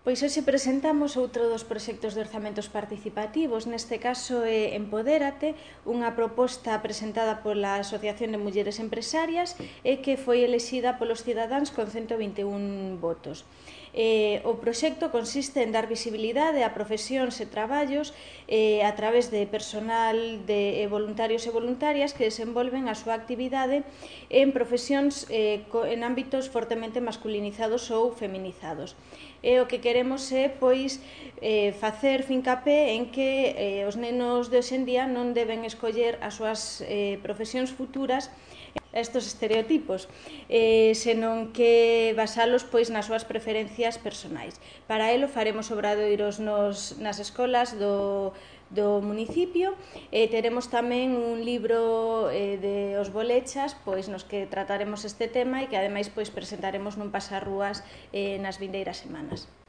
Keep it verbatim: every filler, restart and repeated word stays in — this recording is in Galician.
Pois hoxe presentamos outro dos proxectos de orzamentos participativos, neste caso é Empodérate, unha proposta presentada pola Asociación de Mulleres Empresarias e que foi elexida polos cidadáns con cento vinte e un votos. Eh, o proxecto consiste en dar visibilidade a profesións e traballos eh, a través de personal de eh, voluntarios e voluntarias que desenvolven a súa actividade en profesións eh, en ámbitos fortemente masculinizados ou feminizados. E o que queremos é pois eh, facer fincapé en que eh, os nenos de hoxendía non deben escoller as súas eh, profesións futuras estos estereotipos, eh, senón que basalos pois nas súas preferencias personais. Para elo faremos obradoiros nos, nas escolas do, do municipio e teremos tamén un libro eh, de os bolechas pois nos que trataremos este tema e que ademais pois presentaremos nun pasarrúas eh, nas vindeiras semanas.